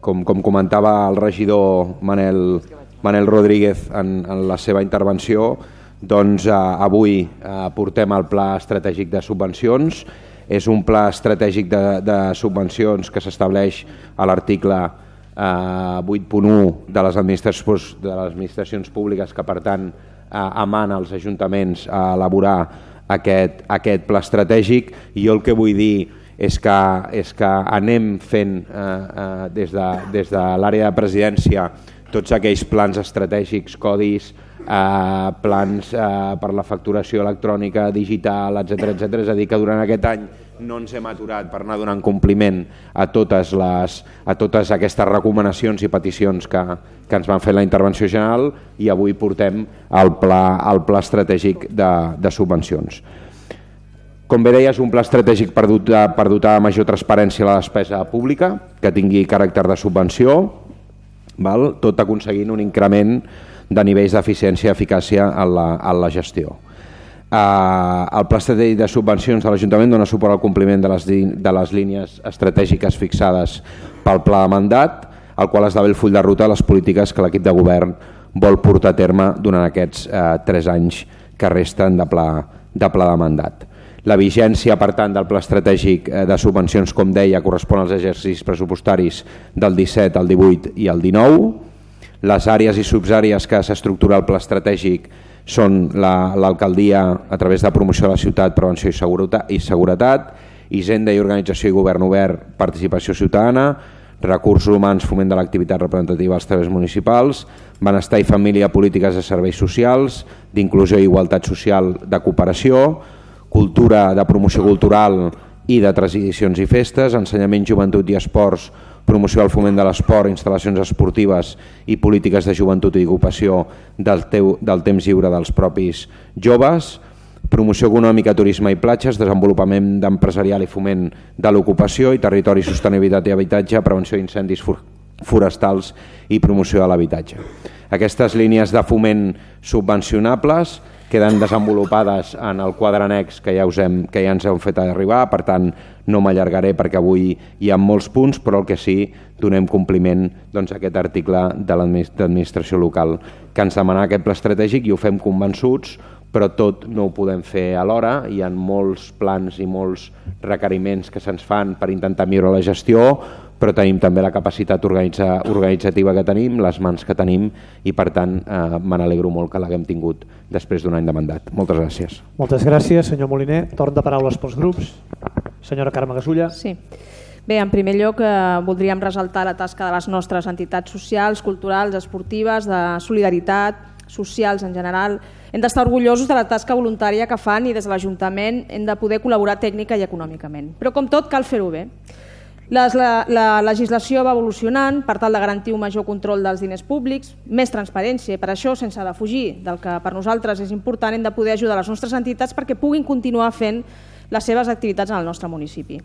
com comentava el regidor Manel Rodríguez en la seva intervenció, doncs avui portem el Pla Estratègic de Subvencions. És un pla estratègic de subvencions que s'estableix a l'article 8.1 de les administracions públiques, que per tant emana als ajuntaments a elaborar aquest pla estratègic. I jo el que vull dir és que anem fent des de l'àrea de presidència tots aquells plans estratègics, codis, plans per la facturació electrònica, digital, etc. És a dir, que durant aquest any no ens hem aturat per anar donant compliment a totes aquestes recomanacions i peticions que ens van fer la intervenció general, i avui portem el pla estratègic de subvencions. Com bé deia, és un pla estratègic per dotar de major transparència a la despesa pública, que tingui caràcter de subvenció, tot aconseguint un increment de nivells d'eficiència i eficàcia en la gestió. El Pla Estratègic de Subvencions de l'Ajuntament dona suport al compliment de les línies estratègiques fixades pel Pla de Mandat, el qual esdevé el full de ruta de les polítiques que l'equip de govern vol portar a terme durant aquests 3 anys que resten de pla de mandat. La vigència, per tant, del Pla Estratègic de Subvencions, com deia, correspon als exercicis pressupostaris del 17, el 18 i el 19. Les àrees i subàrees que s'estructura el Pla Estratègic són l'alcaldia a través de promoció de la ciutat, prevenció i seguretat, Hisenda i organització i govern obert, participació ciutadana, recursos humans, foment de l'activitat representativa als treballs municipals, benestar i família, polítiques de serveis socials, d'inclusió i igualtat social, de cooperació, cultura, de promoció cultural i de tradicions i festes, ensenyament, joventut i esports, promoció del foment de l'esport, instal·lacions esportives i polítiques de joventut i ocupació del temps lliure dels propis joves, promoció econòmica, turisme i platges, desenvolupament empresarial i foment de l'ocupació i territori, sostenibilitat i habitatge, prevenció d'incendis forestals i promoció de l'habitatge. Aquestes línies de foment subvencionables queden desenvolupades en el quadre annex que ja ens hem fet arribar, per tant no m'allargaré perquè avui hi ha molts punts, però el que sí, donem compliment a aquest article de l'administració local que ens demana aquest pla estratègic, i ho fem convençuts, però tot no ho podem fer alhora. Hi ha molts plans i molts requeriments que se'ns fan per intentar millorar la gestió, però tenim també la capacitat organitzativa que tenim, les mans que tenim, i per tant me n'alegro molt que l'haguem tingut després d'un any de mandat. Moltes gràcies. Moltes gràcies, senyor Moliner. Torn de paraules pels grups. Senyora Carme Gasulla. Sí. Bé, en primer lloc voldríem ressaltar la tasca de les nostres entitats socials, culturals, esportives, de solidaritat, socials en general. Hem d'estar orgullosos de la tasca voluntària que fan, i des de l'Ajuntament hem de poder col·laborar tècnica i econòmicament. Però com tot cal fer-ho bé. La legislació va evolucionant per tal de garantir un major control dels diners públics, més transparència, i per això, sense defugir del que per nosaltres és important, hem de poder ajudar les nostres entitats perquè puguin continuar fent les seves activitats en el nostre municipi.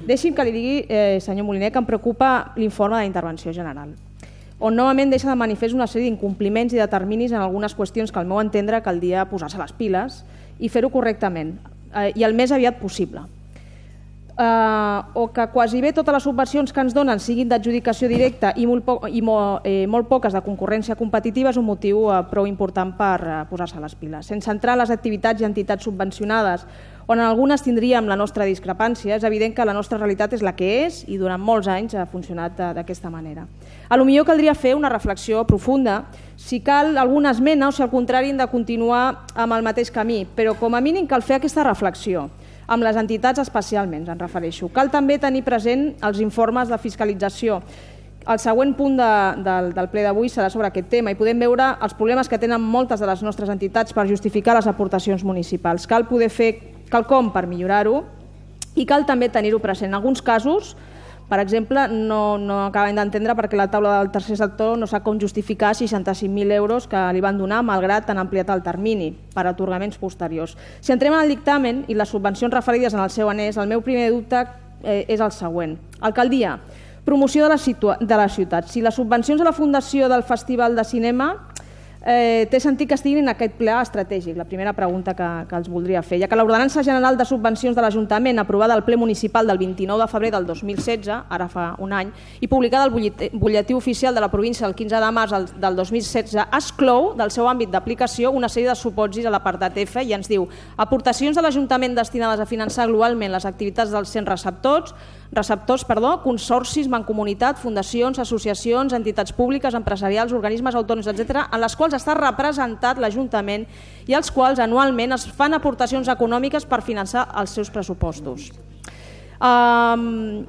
Deixi'm que li digui, senyor Moliner, que em preocupa l'informe d'intervenció general, on novament deixa de manifest una sèrie d'incompliments i de terminis en algunes qüestions que al meu entendre caldria posar-se les piles i fer-ho correctament, i el més aviat possible. O que quasi bé totes les subvencions que ens donen siguin d'adjudicació directa i molt poques de concurrència competitiva és un motiu prou important per posar-se les piles. Sense entrar en les activitats i entitats subvencionades, on en algunes tindríem la nostra discrepància, és evident que la nostra realitat és la que és i durant molts anys ha funcionat d'aquesta manera. Potser caldria fer una reflexió profunda si cal alguna esmena o si al contrari hem de continuar amb el mateix camí, però com a mínim cal fer aquesta reflexió. Amb les entitats especialment, em refereixo. Cal també tenir present els informes de fiscalització. El següent punt del ple d'avui serà sobre aquest tema i podem veure els problemes que tenen moltes de les nostres entitats per justificar les aportacions municipals. Cal poder fer quelcom per millorar-ho i cal també tenir-ho present. En alguns casos, per exemple, no acabem d'entendre perquè la taula del tercer sector no sap com justificar 65.000 euros que li van donar malgrat han ampliat el termini per a atorgaments posteriors. Si entrem en el dictamen i les subvencions referides en el seu annex, el meu primer dubte és el següent. Alcaldia, promoció de la ciutat. Si les subvencions a la Fundació del Festival de Cinema té sentit que estiguin en aquest ple estratègic? La primera pregunta que els voldria fer. Ja que l'Ordenança General de Subvencions de l'Ajuntament, aprovada al ple municipal del 29 de febrer del 2016, ara fa un any, i publicada al butlletí oficial de la província el 15 de març del 2016, exclou del seu àmbit d'aplicació una sèrie de supòsits a l'apartat F i ens diu: aportacions de l'Ajuntament destinades a finançar globalment les activitats dels 100 receptors, consorcis, mancomunitat, fundacions, associacions, entitats públiques, empresarials, organismes autònoms, etc., en les quals està representat l'Ajuntament i als quals anualment es fan aportacions econòmiques per finançar els seus pressupostos. Una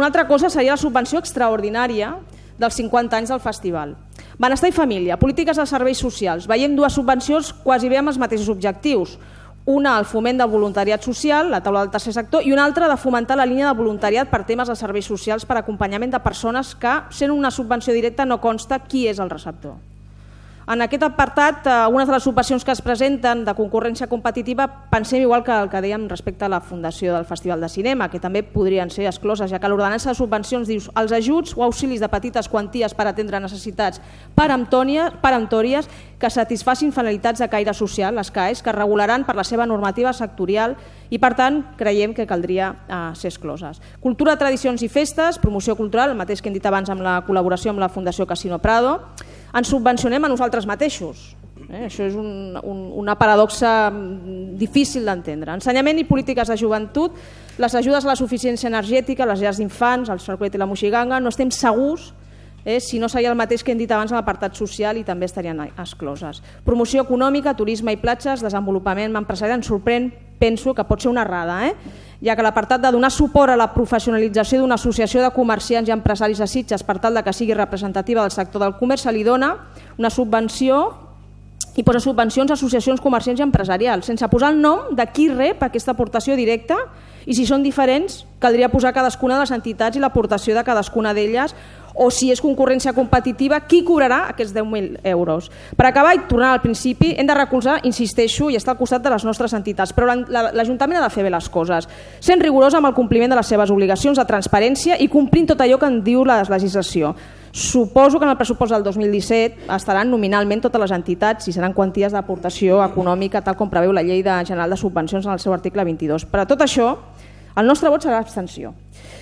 altra cosa seria la subvenció extraordinària dels 50 anys del festival. Benestar i família, polítiques de serveis socials. Veiem dues subvencions quasi bé amb els mateixos objectius. Una, el foment del voluntariat social, la taula del tercer sector, i una altra de fomentar la línia de voluntariat per temes de serveis socials per acompanyament de persones que, sent una subvenció directa, no consta qui és el receptor. En aquest apartat, algunes de les subvencions que es presenten de concurrència competitiva pensem igual que el que dèiem respecte a la fundació del Festival de Cinema, que també podrien ser excloses, ja que l'ordenança de subvencions diu els ajuts o auxilis de petites quanties per atendre necessitats peremptòries que satisfacin finalitats de caire social, les CAEs, que regularan per la seva normativa sectorial i, per tant, creiem que caldria ser excloses. Cultura, tradicions i festes, promoció cultural, el mateix que hem dit abans amb la col·laboració amb la Fundació Casino Prado. Ens subvencionem a nosaltres mateixos. Això és una paradoxa difícil d'entendre. Ensenyament i polítiques de joventut, les ajudes a la suficiència energètica, les llars d'infants, el Cerclet i la Moixiganga, no estem segurs si no seria el mateix que hem dit abans en l'apartat social i també estarien excloses. Promoció econòmica, turisme i platges, desenvolupament empresarial, ens sorprèn, penso que pot ser una errada, ja que l'apartat de donar suport a la professionalització d'una associació de comerciants i empresaris de Sitges per tal que sigui representativa del sector del comerç, se li dona una subvenció i posa subvencions a associacions comerciants i empresarials, sense posar el nom de qui rep aquesta aportació directa, i si són diferents caldria posar cadascuna de les entitats i l'aportació de cadascuna d'elles, o si és concurrència competitiva, qui cobrarà aquests 10.000 euros. Per acabar i tornar al principi, hem de recolzar, insisteixo, i estar al costat de les nostres entitats, però l'Ajuntament ha de fer bé les coses, sent rigorós amb el compliment de les seves obligacions de transparència i complint tot allò que en diu la legislació. Suposo que en el pressupost del 2017 estaran nominalment totes les entitats i seran quanties d'aportació econòmica tal com preveu la Llei General de Subvencions en el seu article 22. Per a tot això, el nostre vot serà abstenció.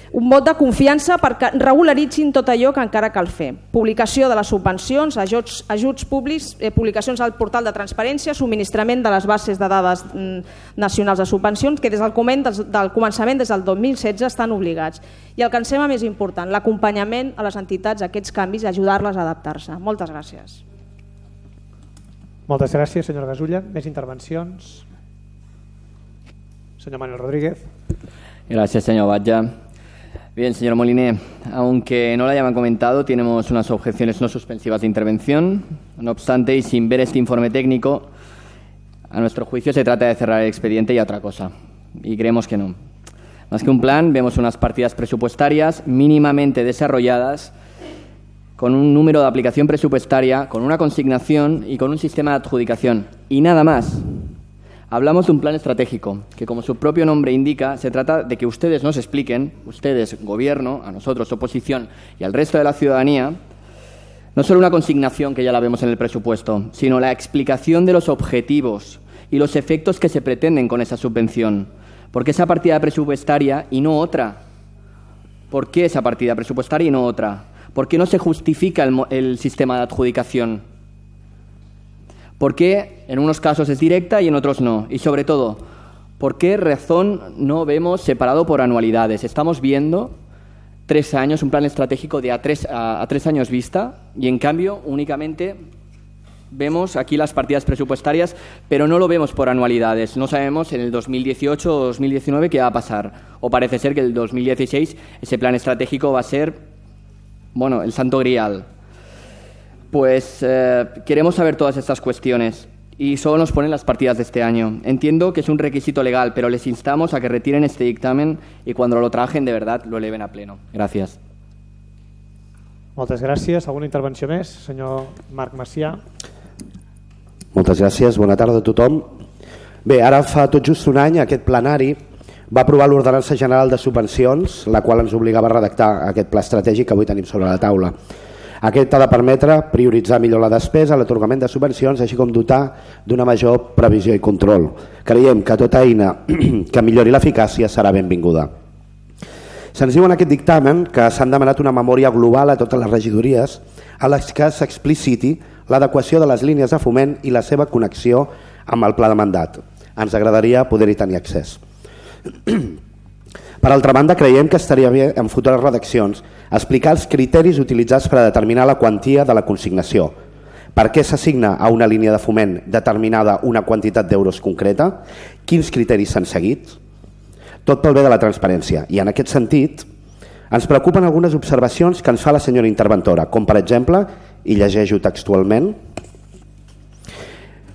Un vot de confiança perquè regularitzin tot allò que encara cal fer. Publicació de les subvencions, ajuts públics, publicacions al portal de transparència, subministrament de les bases de dades nacionals de subvencions que des del començament, des del 2016, estan obligats. I el que ens sembla més important, l'acompanyament a les entitats a aquests canvis i ajudar-les a adaptar-se. Moltes gràcies. Moltes gràcies, senyora Gasulla. Més intervencions? Señor Manuel Rodríguez. Gracias, señor Batlla. Bien, señor Moliné, aunque no lo hayan comentado, tenemos unas objeciones no suspensivas de intervención. No obstante, y sin ver este informe técnico, a nuestro juicio se trata de cerrar el expediente y a otra cosa. Y creemos que no. Más que un plan, vemos unas partidas presupuestarias mínimamente desarrolladas, con un número de aplicación presupuestaria, con una consignación y con un sistema de adjudicación. Y nada más. Hablamos de un plan estratégico, que como su propio nombre indica, se trata de que ustedes nos expliquen, ustedes, gobierno, a nosotros, oposición y al resto de la ciudadanía, no solo una consignación que ya la vemos en el presupuesto, sino la explicación de los objetivos y los efectos que se pretenden con esa subvención. ¿Por qué esa partida presupuestaria y no otra? ¿Por qué esa partida presupuestaria y no otra? ¿Por qué no se justifica el sistema de adjudicación? ¿Por qué en unos casos es directa y en otros no? Y sobre todo, ¿por qué razón no vemos separado por anualidades? Estamos viendo 3 años, un plan estratégico de a 3 años vista, y en cambio únicamente vemos aquí las partidas presupuestarias, pero no lo vemos por anualidades. No sabemos en el 2018 o 2019 qué va a pasar. O parece ser que el 2016 ese plan estratégico va a ser, bueno, el santo grial. Pues queremos saber todas estas cuestiones y solo nos ponen las partidas de este año. Entiendo que es un requisito legal, pero les instamos a que retiren este dictamen y cuando lo trabajen de verdad lo eleven a pleno. Gracias. Moltes gràcies. Alguna intervenció més? Senyor Marc Macià. Moltes gràcies. Bona tarda a tothom. Bé, ara fa tot just un any aquest plenari va aprovar l'Ordenança General de Subvencions, la qual ens obligava a redactar aquest pla estratègic que avui tenim sobre la taula. Aquest ha de permetre prioritzar millor la despesa, l'atorgament de subvencions, així com dotar d'una major previsió i control. Creiem que tota eina que millori l'eficàcia serà benvinguda. Se'ns diu en aquest dictamen que s'han demanat una memòria global a totes les regidories a les que s'expliciti l'adequació de les línies de foment i la seva connexió amb el pla de mandat. Ens agradaria poder-hi tenir accés. Per altra banda, creiem que estaria bé en futures redaccions explicar els criteris utilitzats per a determinar la quantia de la consignació. Per què s'assigna a una línia de foment determinada una quantitat d'euros concreta? Quins criteris s'han seguit? Tot pel bé de la transparència. I en aquest sentit, ens preocupen algunes observacions que ens fa la senyora interventora, com per exemple, i llegeixo textualment,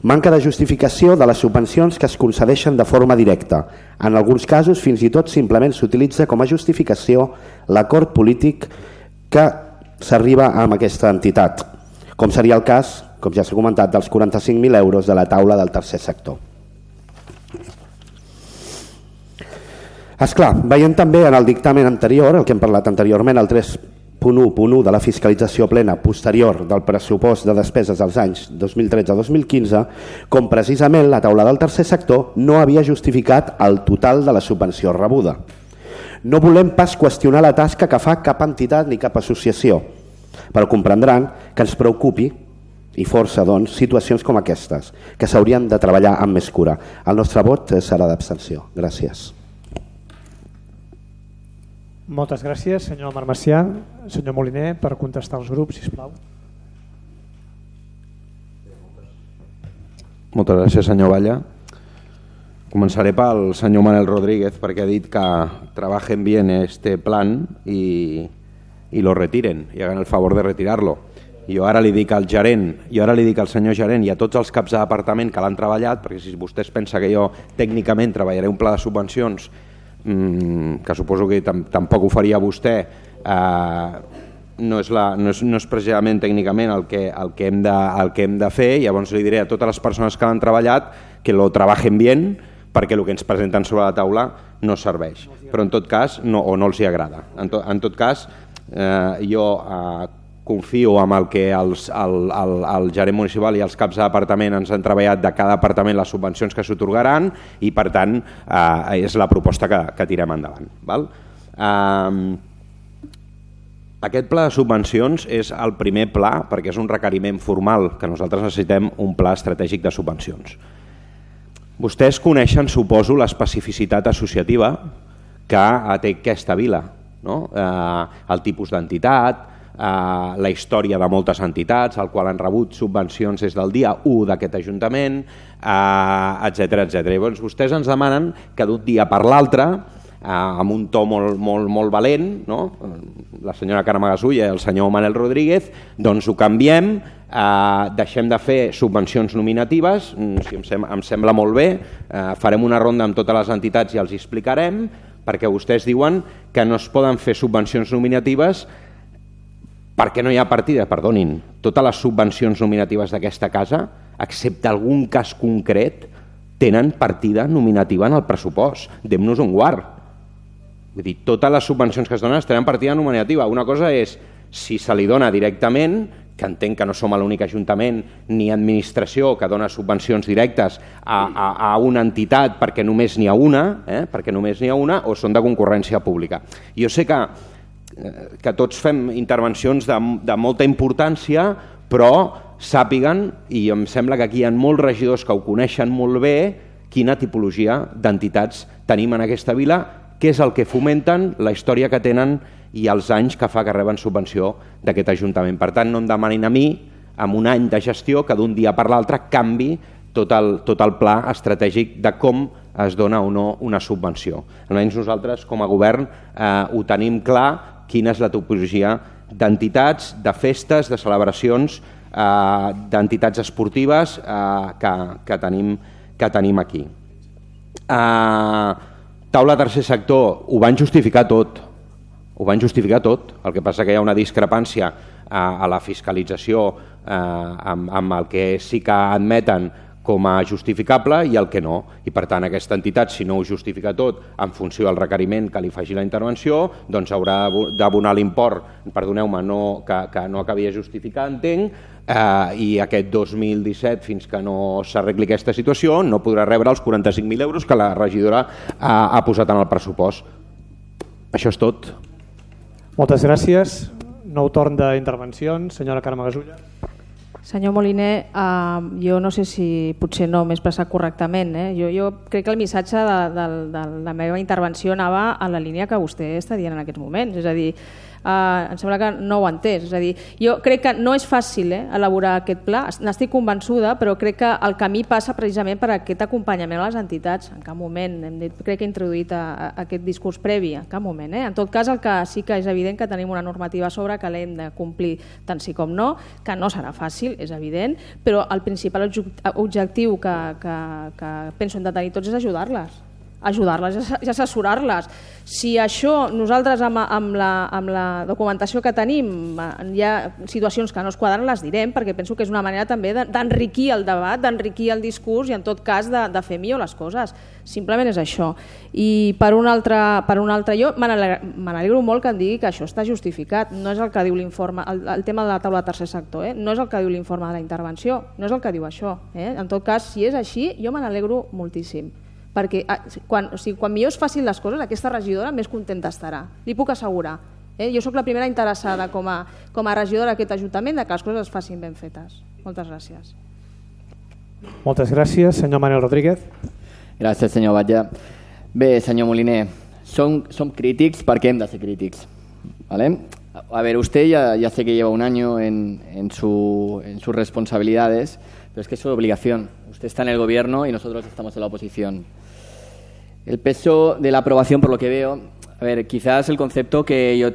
manca de justificació de les subvencions que es concedeixen de forma directa. En alguns casos, fins i tot, simplement s'utilitza com a justificació l'acord polític que s'arriba amb aquesta entitat, com seria el cas, com ja s'ha comentat, dels 45.000 euros de la taula del tercer sector. Esclar, veient també en el dictamen anterior, el que hem parlat anteriorment, el 3.1.1 de la fiscalització plena posterior del pressupost de despeses dels anys 2013-2015, com precisament la taula del tercer sector no havia justificat el total de la subvenció rebuda. No volem pas qüestionar la tasca que fa cap entitat ni cap associació, però comprendran que ens preocupi i força doncs, situacions com aquestes, que s'haurien de treballar amb més cura. El nostre vot serà d'abstenció. Gràcies. Moltes gràcies, senyor Marmessià. Senyor Moliner, per contestar als grups, sisplau. Moltes gràcies, senyor Valla. Començaré pel senyor Manel Rodríguez, perquè ha dit que trabajen bien este plan y lo retiren, y hagan el favor de retirarlo. Jo ara li dic al gerent, al senyor gerent i a tots els caps de departament que l'han treballat, perquè si vostès pensa que jo tècnicament treballaré un pla de subvencions que suposo que tampoc ho faria vostè, no és precisament tècnicament el que hem de fer. Llavors li diré a totes les persones que l'han treballat que lo trabajen bien, perquè el que ens presenten sobre la taula no serveix, però en tot cas o no els hi agrada. En tot cas, jo confio en el que el gerent municipal i els caps de departament ens han treballat de cada departament les subvencions que s'atorgaran i per tant és la proposta que tirem endavant. Aquest pla de subvencions és el primer pla perquè és un requeriment formal que nosaltres necessitem un pla estratègic de subvencions. Vostès coneixen, suposo, l'especificitat associativa que té aquesta vila, el tipus d'entitat, la història de moltes entitats, al qual han rebut subvencions des del dia 1 d'aquest Ajuntament, etc. Llavors vostès ens demanen que d'un dia per l'altre, amb un to molt valent, la senyora Carme Gasulla i el senyor Manel Rodríguez, doncs ho canviem, deixem de fer subvencions nominatives, em sembla molt bé, farem una ronda amb totes les entitats i els explicarem, perquè vostès diuen que no es poden fer subvencions nominatives perquè no hi ha partida. Perdonin, totes les subvencions nominatives d'aquesta casa, excepte algun cas concret, tenen partida nominativa en el pressupost. Dem-nos un guard. Vull dir, totes les subvencions que es donen tenen partida nominativa. Una cosa és si se li dona directament, que entenc que no som l'únic ajuntament ni administració que dona subvencions directes a una entitat perquè només n'hi ha una, o són de concurrència pública. Jo sé que tots fem intervencions de molta importància, però sàpiguen, i em sembla que aquí hi ha molts regidors que ho coneixen molt bé, quina tipologia d'entitats tenim en aquesta vila, què és el que fomenten, la història que tenen i els anys que fa que reben subvenció d'aquest Ajuntament. Per tant, no em demanin a mi, amb un any de gestió, que d'un dia per l'altre canvi tot el pla estratègic de com es dona o no una subvenció. Almenys nosaltres, com a govern, ho tenim clar quina és la tipologia d'entitats, de festes, de celebracions, d'entitats esportives que tenim aquí. Taula tercer sector, ho van justificar tot. El que passa que hi ha una discrepància a la fiscalització amb el que sí que admeten com a justificable i el que no. I per tant aquesta entitat, si no ho justifica tot en funció del requeriment que li faci la intervenció, doncs haurà d'abonar l'import, perdoneu-me, que no acabi de justificar, entenc, i aquest 2017, fins que no s'arregli aquesta situació, no podrà rebre els 45.000 euros que la regidora ha posat en el pressupost. Això és tot. Moltes gràcies. Nou torn d'intervencions. Senyora Carme Gasulla. Senyor Moliner, jo no sé si potser no m'he expressat correctament. Jo crec que el missatge de la meva intervenció anava en la línia que vostè està dient en aquests moments. És a dir, em sembla que no ho ha entès. És a dir, jo crec que no és fàcil elaborar aquest pla, n'estic convençuda, però crec que el camí passa precisament per aquest acompanyament a les entitats. En cap moment, crec que he introduït aquest discurs previ, en cap moment. En tot cas, el que sí que és evident que tenim una normativa a sobre que l'hem de complir tant sí com no, que no serà fàcil, és evident, però el principal objectiu que penso hem de tenir tots és ajudar-les i assessorar-les. Si això nosaltres amb la documentació que tenim hi ha situacions que no es quadren, les direm, perquè penso que és una manera també d'enriquir el debat, d'enriquir el discurs i en tot cas de fer millor les coses. Simplement és això. I per un altre jo me n'alegro molt que em digui que això està justificat. No és el que diu l'informe, el tema de la taula de tercer sector, no és el que diu l'informe de la intervenció, no és el que diu això. En tot cas, si és així, jo me n'alegro moltíssim. Perquè quan millor es facin les coses, aquesta regidora més contenta estarà, li puc assegurar. Jo sóc la primera interessada com a regidora d'aquest Ajuntament que les coses es facin ben fetes. Moltes gràcies. Moltes gràcies. Senyor Manel Rodríguez. Gràcies, senyor Batlle. Bé, senyor Moliner, som crítics perquè hem de ser crítics, ¿vale? A ver, usted ya sé que lleva un año en sus responsabilidades, pero es que es su obligación. Usted está en el gobierno y nosotros estamos en la oposición. El peso de la aprobación, por lo que veo, a ver, quizás el concepto que yo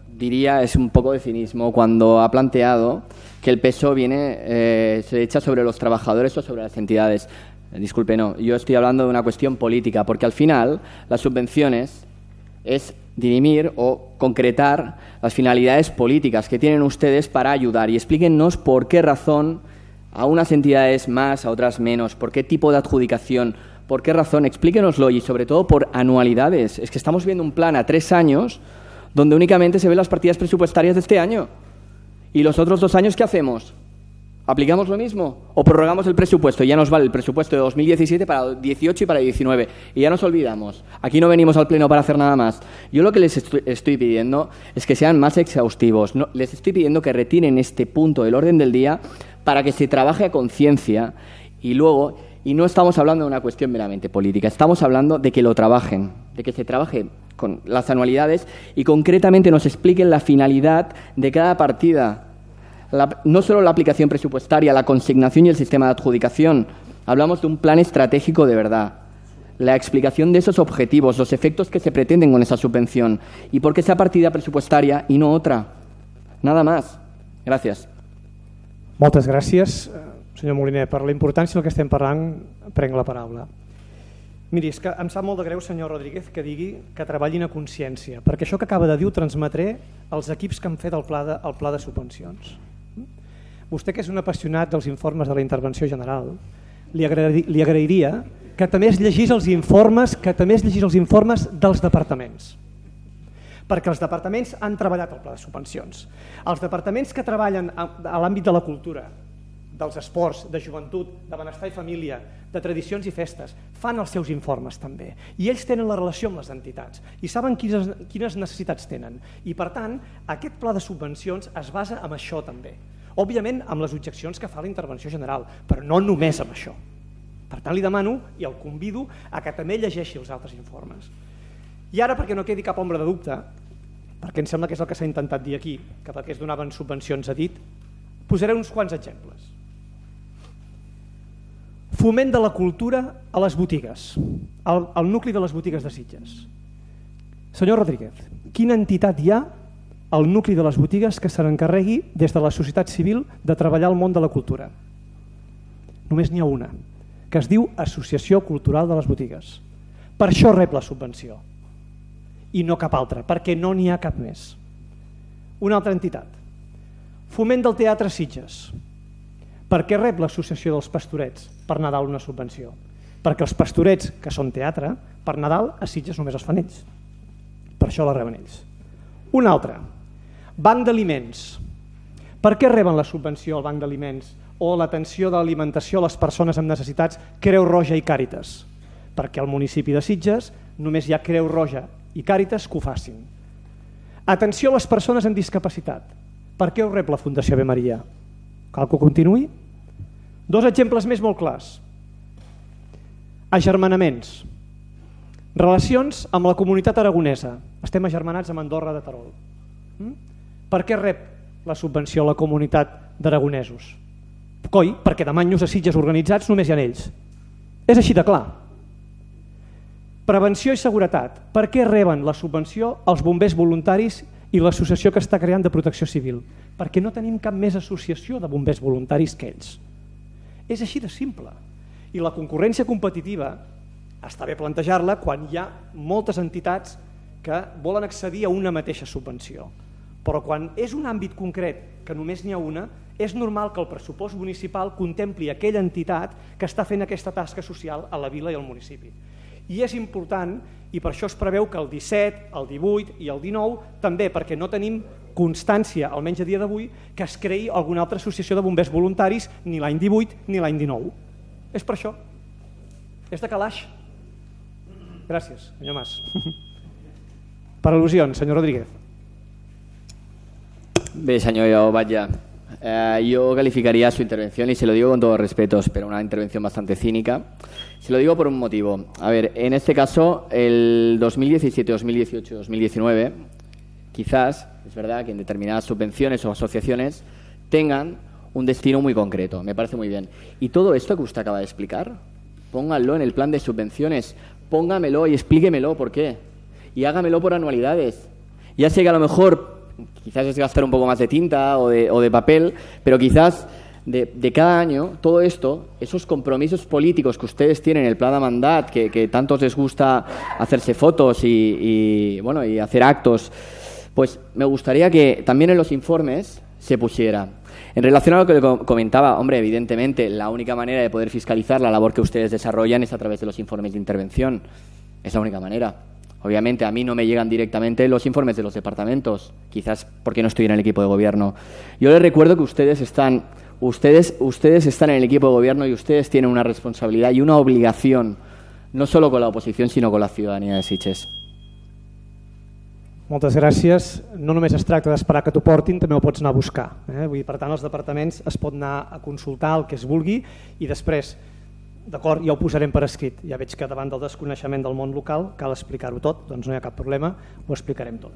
diría es un poco de cinismo cuando ha planteado que el peso se echa sobre los trabajadores o sobre las entidades. Disculpe, no, yo estoy hablando de una cuestión política, porque al final las subvenciones es dirimir o concretar las finalidades políticas que tienen ustedes para ayudar, y explíquennos por qué razón a unas entidades más, a otras menos, por qué tipo de adjudicación, por qué razón, explíquenoslo, y sobre todo por anualidades. Es que estamos viendo un plan a 3 años donde únicamente se ven las partidas presupuestarias de este año, y los otros 2 años, ¿qué hacemos? ¿Aplicamos lo mismo o prorrogamos el presupuesto? Ya nos vale el presupuesto de 2017 para 2018 y para 2019 y ya nos olvidamos. Aquí no venimos al pleno para hacer nada más. Yo lo que les estoy pidiendo es que sean más exhaustivos. No, les estoy pidiendo que retiren este punto del orden del día para que se trabaje a conciencia y luego, y no estamos hablando de una cuestión meramente política, estamos hablando de que lo trabajen, de que se trabaje con las anualidades y concretamente nos expliquen la finalidad de cada partida. No solo la aplicación presupuestaria, la consignación y el sistema de adjudicación. Hablamos de un plan estratégico de verdad. La explicación de esos objetivos, los efectos que se pretenden con esa subvención y por qué esa partida presupuestaria y no otra. Nada más. Gràcies. Moltes gràcies, senyor Moliner. Per la importància del que estem parlant, prenc la paraula. Miri, és que em sap molt de greu, senyor Rodríguez, que digui que treballin a consciència, perquè això que acaba de dir ho transmetré als equips que han fet el pla de subvencions. Vostè, que és un apassionat dels informes de la intervenció general, li agrairia que també es llegís els informes dels departaments, perquè els departaments han treballat el pla de subvencions. Els departaments que treballen a l'àmbit de la cultura, dels esports, de joventut, de benestar i família, de tradicions i festes, fan els seus informes també. I ells tenen la relació amb les entitats i saben quines necessitats tenen. I per tant, aquest pla de subvencions es basa en això també. Òbviament amb les objeccions que fa la intervenció general, però no només amb això. Per tant, li demano i el convido a que també llegeixi els altres informes. I ara, perquè no quedi cap ombra de dubte, perquè em sembla que és el que s'ha intentat dir aquí, que perquè es donaven subvencions a dit, posaré uns quants exemples. Foment de la cultura a les botigues, al nucli de les botigues de Sitges. Senyor Rodríguez, quina entitat hi ha al nucli de les botigues que se n'encarregui des de la societat civil de treballar al món de la cultura? Només n'hi ha una, que es diu Associació Cultural de les Botigues. Per això rep la subvenció i no cap altra, perquè no n'hi ha cap més. Una altra entitat, Foment del Teatre Sitges. Per què rep l'associació dels pastorets per Nadal una subvenció? Perquè els pastorets, que són teatre, per Nadal a Sitges només es fan ells. Per això la reben ells. Un altre, banc d'aliments. Per què reben la subvenció al banc d'aliments o l'atenció de l'alimentació a les persones amb necessitats Creu Roja i Càritas? Perquè al municipi de Sitges només hi ha Creu Roja i Càritas que ho facin. Atenció a les persones amb discapacitat. Per què ho rep la Fundació Ave Maria? Cal que ho continuï? Dos exemples més molt clars. Agermanaments. Relacions amb la comunitat aragonesa. Estem agermanats amb Andorra de Terol. Per què rep la subvenció a la comunitat d'aragonesos? Coi, perquè de manyos a Sitges organitzats només hi ha ells. És així de clar. Prevenció i seguretat. Per què reben la subvenció als bombers voluntaris i l'associació que està creant de protecció civil? Perquè no tenim cap més associació de bombers voluntaris que ells. És així de simple. I la concurrència competitiva està bé plantejar-la quan hi ha moltes entitats que volen accedir a una mateixa subvenció. Però quan és un àmbit concret que només n'hi ha una, és normal que el pressupost municipal contempli aquella entitat que està fent aquesta tasca social a la vila i al municipi. I és important, i per això es preveu que el 17, el 18 i el 19 també, perquè no tenim constància, almenys a dia d'avui, que es creï alguna altra associació de bombers voluntaris ni l'any 18 ni l'any 19. És per això. És de calaix. Gràcies, senyor Mas. Per al·lusions, senyor Rodríguez. Bé, señor Batlle, yo calificaría su intervención, y se lo digo con todos los respetos, pero una intervención bastante cínica. Se lo digo por un motivo. A ver, en este caso, el 2017, 2018, 2019, quizás, es verdad que en determinadas subvenciones o asociaciones tengan un destino muy concreto. Me parece muy bien. Y todo esto que usted acaba de explicar, pónganlo en el plan de subvenciones, póngamelo y explíquemelo por qué. Y hágamelo por anualidades. Ya sé que a lo mejor quizás es gastar un poco más de tinta o de papel, pero quizás de cada año todo esto, esos compromisos políticos que ustedes tienen en el plan de mandat, que tantos les gusta hacerse fotos y hacer actos, pues me gustaría que también en los informes se pusiera. En relación a lo que le comentaba, hombre, evidentemente la única manera de poder fiscalizar la labor que ustedes desarrollan es a través de los informes de intervención. Es la única manera. Obviamente a mí no me llegan directamente los informes de los departamentos, quizás porque no estoy en el equipo de gobierno. Yo les recuerdo que ustedes están en el equipo de gobierno y ustedes tienen una responsabilidad y una obligación, no solo con la oposición, sino con la ciudadanía de Sitges. Moltes gràcies. No només es tracta d'esperar que t'ho portin, també ho pots anar a buscar. Vull dir, per tant, els departaments es pot anar a consultar el que es vulgui i després, d'acord, ja ho posarem per escrit. Ja veig que davant del desconeixement del món local cal explicar-ho tot, doncs no hi ha cap problema, ho explicarem tot.